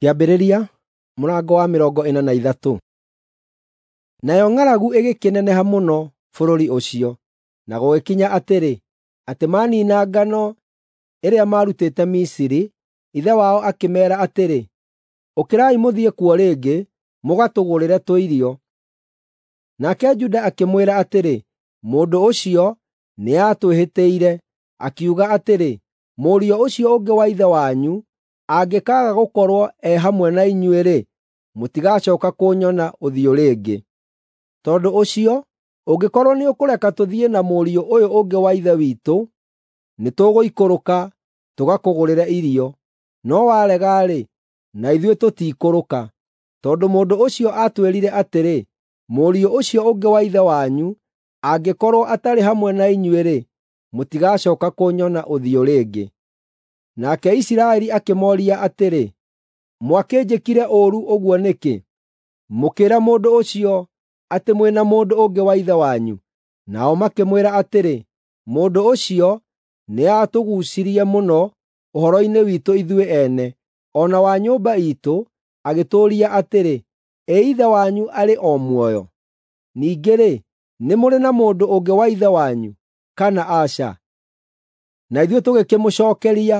Kĩambĩrĩria mũrango wa 43. Nayo ng'aragu ĩgĩkĩneneha mũno bũrũri ũcio, na gũgĩkinya atĩrĩ, atĩ maniina ngano ĩrĩa maarutĩte Misiri, ithe wao akĩmeera atĩrĩ, “Ũkĩrai mũthiĩ kuo rĩngĩ, mũgatũgũrĩre tũirio.” Nake Juda akĩmwĩra atĩrĩ, “Mũndũ ũcio nĩatwĩhĩtĩire, akiuga atĩrĩ, ‘Mũriũ ũcio ũngĩ wa ithe wanyu angĩkaaga gũkorwo e hamwe na inyuĩ-rĩ, mũtigacooka kũnyona ũthiũ rĩngĩ.’ Tondũ ũcio, ũngĩkorwo nĩũkũreka tũthiĩ na mũriũ ũyũ ũngĩ wa ithe witũ, nĩtũgũikũrũka tũgakũgũrĩre irio. No warega-rĩ, na ithuĩ tũtiikũrũka. Tondũ mũndũ ũcio aatwĩrire atĩrĩ, ‘Mũriũ ũcio ũngĩ wa ithe wanyu angĩkorwo atarĩ hamwe na inyuĩ-rĩ, mũtigacooka kũnyona ũthiũ rĩngĩ.’ Nake Isiraeli akĩmooria atĩrĩ, “Mwakĩnjĩkire ũũru ũguo nĩkĩ, mũkĩĩra mũndũ ũcio atĩ mwĩ na mũndũ ũngĩ wa ithe wanyu?” Nao makĩmwĩra atĩrĩ, “Mũndũ ũcio nĩatũguucirie mũno ũhoro-inĩ witũ ithuĩ ene, o na wa nyũmba iitũ, agĩtũũria atĩrĩ, ‘Ĩ ithe wanyu arĩ o muoyo? Ningĩ-rĩ, nĩ mũrĩ na mũndũ ũngĩ wa ithe wanyu, kana aca?’ Na ithuĩ tũgĩkĩmũcookeria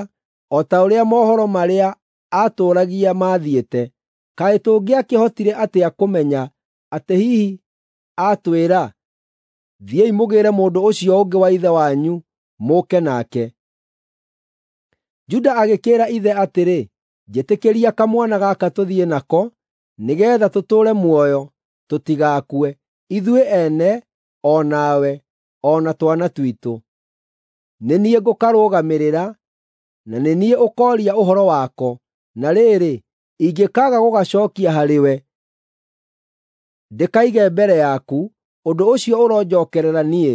o ta ũrĩa mohoro marĩa aatũũragia maathiĩte. Kaĩ tũngĩakĩhotire atĩa kũmenya atĩ hihi aatwĩra, ‘Thiĩi mũgĩĩre mũndũ ũcio ũngĩ wa ithe wanyu mũũke nake’?” Juda agĩkĩĩra ithe atĩrĩ, “Njĩtĩkĩria kamwana gaka tũthiĩ nako, nĩgeetha tũtũũre muoyo, tũtigakue, ithuĩ ene, o nawe, o na twana twitũ. Nĩ niĩ ngũkarũgamĩrĩra, na nĩ niĩ ũkooria ũhoro wako. Na rĩrĩ, ingĩkaaga gũgacookia harĩwe, ndĩkaige mbere yaku, ũndũ ũcio ũronjookerera niĩ,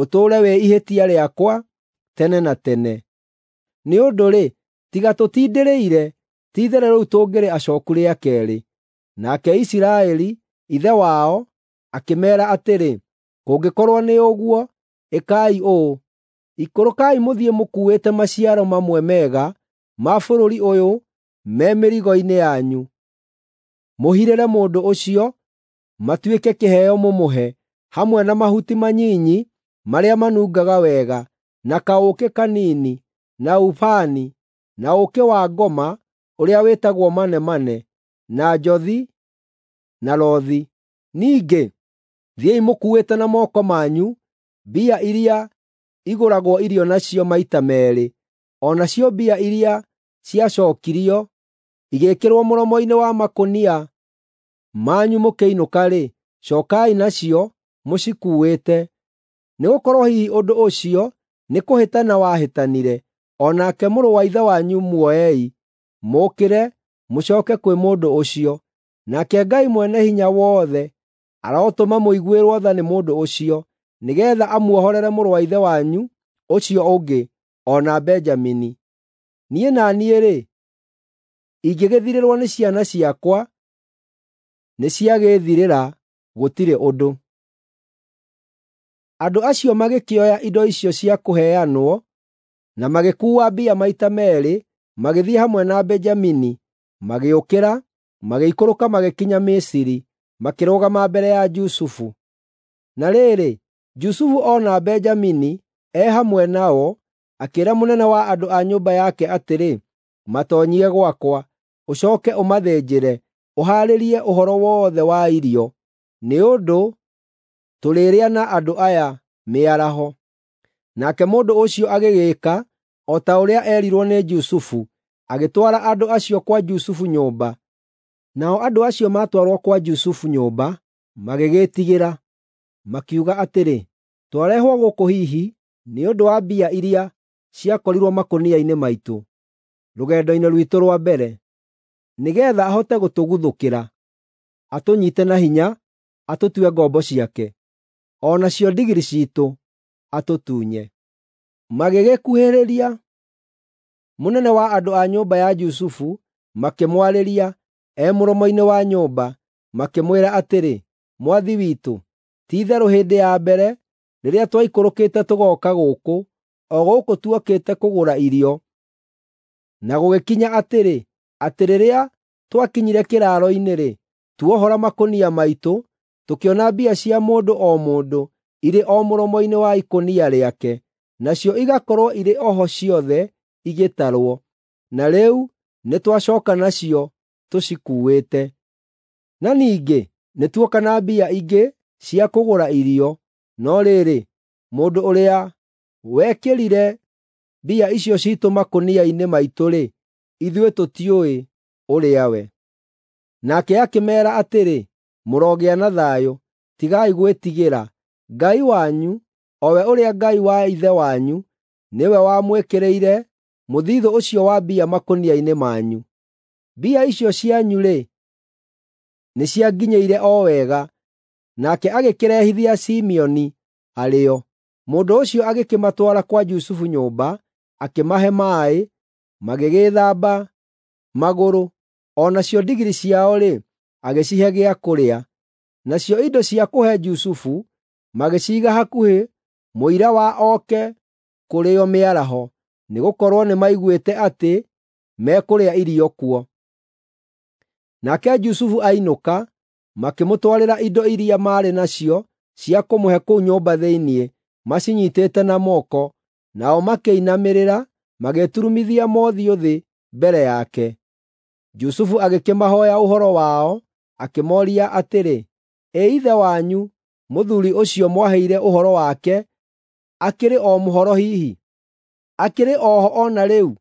ũtũũre wĩ ihĩtia rĩakwa tene na tene. Nĩ ũndũ-rĩ, tiga tũtindĩrĩire, ti-itherũ rĩu tũngĩrĩ acooku rĩa keerĩ.” Nake Isiraeli, ithe wao, akĩmeera atĩrĩ, “Kũngĩkorwo nĩ ũguo, ĩkai ũũ: Ikũrũkai mũthiĩ mũkuuĩte maciaro mamwe mega ma bũrũri ũyũ me mĩrigo-inĩ yanyu. Mũhirĩre mũndũ ũcio, matuĩke kĩheo mũmũhe, hamwe na mahuti manyinyi marĩa manungaga wega, na kaũũkĩ kanini, na ubani, na ũũkĩ wa ngoma ũrĩa wĩtagwo manemane, na njothi, na rothi. Ningĩ, thiĩi mũkuuĩte na moko manyu mbia iria igũragwo irio nacio maita meerĩ, o nacio mbia iria ciacookirio igĩĩkĩrwo mũromo-inĩ wa makũnia manyu mũkĩinũka-rĩ, cookai nacio mũcikuuĩte. Nĩgũkorwo hihi ũndũ ũcio nĩ kũhĩtana wahĩtanire, o nake mũrũ wa ithe wanyu muoei, mũũkĩre, mũcooke kwĩ mũndũ ũcio. Nake Ngai Mwene-Hinya-Wothe arotũma mũiguĩrwo tha nĩ mũndũ ũcio, nĩgeetha amuohorere mũrũ wa ithe wanyu ũcio ũngĩ, o na Benjamini. Niĩ na niĩ-rĩ, ingĩgĩthirĩrwo nĩ ciana ciakwa, nĩciagĩĩthirĩra, gũtirĩ ũndũ.” Andũ acio magĩkĩoya indo icio cia kũheanwo, na magĩkuua mbia maita meerĩ, magĩthiĩ hamwe na Benjamini, magĩũkĩra, magĩikũrũka magĩkinya Misiri, makĩrũgama mbere ya Jusufu. Na rĩrĩ, Jusufu ona Benjamini e hamwe nao, akĩĩra mũnene wa andũ a nyũmba yake atĩrĩ, “Matoonyie gwakwa, ũcooke ũmathĩnjĩre, ũhaarĩrie ũhoro wothe wa irio, nĩ ũndũ tũrĩrĩa na andũ aya mĩaraho.” Nake mũndũ ũcio agĩgĩĩka o ta ũrĩa eerirwo nĩ Jusufu, agĩtwara andũ acio kwa Jusufu nyũmba. Nao andũ acio maatwarwo kwa Jusufu nyũmba, magĩgĩĩtigĩra, makiuga atĩrĩ, “Twarehwo gũkũ hihi nĩ ũndũ wa mbia iria ciakorirwo makũnia-inĩ maitũ rũgendo-inĩ rwitũ rwa mbere, nĩgeetha ahote gũtũguthũkĩra, atũnyiite na hinya, atũtue ngombo ciake, o nacio ndigiri ciitũ atũtunye.” Magĩgĩkuhĩrĩria mũnene wa andũ a nyũmba ya Jusufu, makĩmwarĩria e mũromo-inĩ wa nyũmba, makĩmwĩra atĩrĩ, “Mwathi witũ, ti-itherũ hĩndĩ ya mbere rĩrĩa twaikũrũkĩte tũgooka gũkũ, o gũkũ tuokĩte kũgũra irio, na gũgĩkinya atĩrĩ, atĩ rĩrĩa twakinyire kĩraaro-inĩ-rĩ, tuohora makũnia maitũ, tũkĩona mbia cia mũndũ o mũndũ irĩ o mũromo-inĩ wa ikũnia rĩake, nacio igakorwo irĩ o ho ciothe igĩtarwo. Na rĩu nĩtwacooka nacio tũcikuuĩte. Na ningĩ nĩtuoka na mbia ingĩ cia kũgũra irio, no rĩrĩ, mũndũ ũrĩa wekĩrire mbia icio ciitũ makũnia-inĩ maitũ-rĩ, ithuĩ tũtiũĩ ũrĩa we. Nake akĩmeera atĩrĩ, “Mũrogĩa na thayũ! Tigai gwĩtigĩra. Ngai wanyu, o we ũrĩa Ngai wa ithe wanyu, nĩwe wamwĩkĩrĩire mũthithũ ũcio wa mbia makũnia-inĩ manyu. Mbia icio cianyu-rĩ, nĩcianginyĩire o wega.” Nake agĩkĩrehithia Simeoni arĩ o. Mũndũ ũcio agĩkĩmatwara kwa Jusufu nyũmba, akĩmahe maaĩ, magĩgĩĩthamba magũrũ, o nacio ndigiri ciao-rĩ, agĩcihe gĩa kũrĩa. Nacio indo cia kũhe Jusufu magĩciiga hakuhĩ mũira wa oke kũrĩo mĩaraho, nĩgũkorwo nĩmaiguĩte atĩ mekũrĩa irio kuo. Nake Jusufu ainũka, makĩmũtwarĩra indo iria maarĩ nacio cia kũmũhe kũu nyũmba thĩinĩ, macinyiitĩte na moko, nao makĩinamĩrĩra, magĩturumithia mothiũ thĩ mbere yake. Jusufu agĩkĩmahooya ũhoro wao, akĩmooria atĩrĩ, “Ĩ ithe wanyu, mũthuuri ũcio mwaheire ũhoro wake, akĩrĩ o mũhoro hihi? Akĩrĩ o ho o na rĩu?”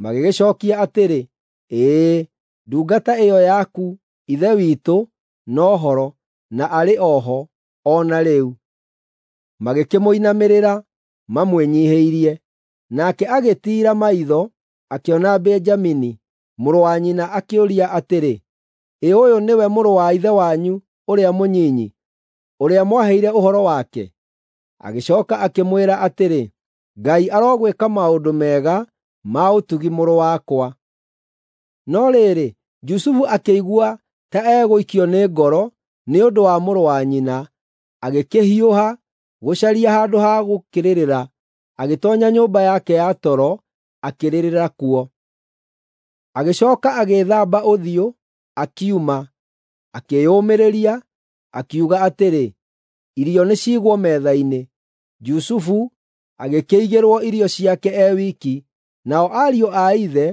Magĩgĩcookia atĩrĩ, “Ĩĩ, ndungata ĩyo yaku, ithe witũ, no horo, na arĩ o ho o na rĩu.” Magĩkĩmũinamĩrĩra mamwĩnyiihĩirie. Nake agĩtiira maitho, akĩona Benjamini, mũrũ wa nyina, akĩũria atĩrĩ, “Ĩ ũyũ nĩwe mũrũ wa ithe wanyu ũrĩa mũnyinyi, ũrĩa mwaheire ũhoro wake?” Agĩcooka akĩmwĩra atĩrĩ, “Ngai arogwĩka maũndũ mega ma ũtugi mũrũ wakwa.” No rĩrĩ, Jusufu akĩigua ta egũikio nĩ ngoro nĩ ũndũ wa mũrũ wa nyina, agĩkĩhiũha gũcaria handũ ha gũkĩrĩrĩra, agĩtoonya nyũmba yake ya toro, akĩrĩrĩra kuo. Agĩcooka agĩĩthamba ũthiũ, akiuma, akĩĩyũmĩrĩria, akiuga atĩrĩ, “Irio nĩciigwo metha-inĩ.” Jusufu agĩkĩigĩrwo irio ciake e wiki, nao ariũ a ithe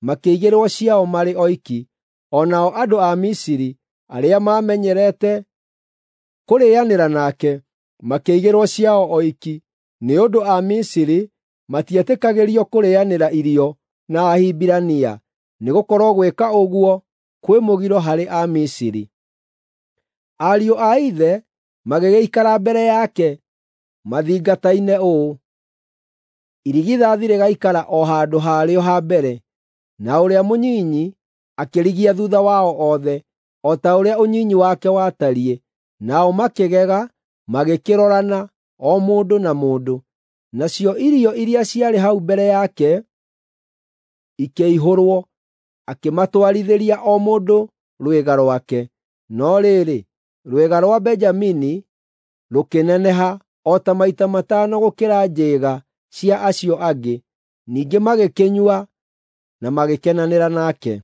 makĩigĩrwo ciao marĩ oiki, o nao andũ a Misiri arĩa maamenyerete kũrĩanĩra nake makĩigĩrwo ciao oiki, nĩ ũndũ Amisiri matietĩkagĩrio kũrĩanĩra irio na Ahibirania, nĩgũkorwo gwĩka ũguo kwĩ mũgiro harĩ Amisiri. Ariũ a ithe magĩgĩikara mbere yake mathingataine ũũ: irigithathi rĩgaikara o handũ harĩo ha mbere, na ũrĩa mũnyinyi akĩrigia thuutha wao othe, o ta ũrĩa ũnyinyi wake watariĩ. Nao makĩgega, magĩkĩrorana, o mũndũ na mũndũ. Nacio irio iria ciarĩ hau mbere yake ikĩihũrwo, akĩmatwarithĩria o mũndũ rwĩga rwake. No rĩrĩ, rwĩga rwa Benjamini rũkĩneneha o ta maita matano gũkĩra njĩĩga cia acio angĩ. Ningĩ magĩkĩnyua na magĩkenanĩra nake.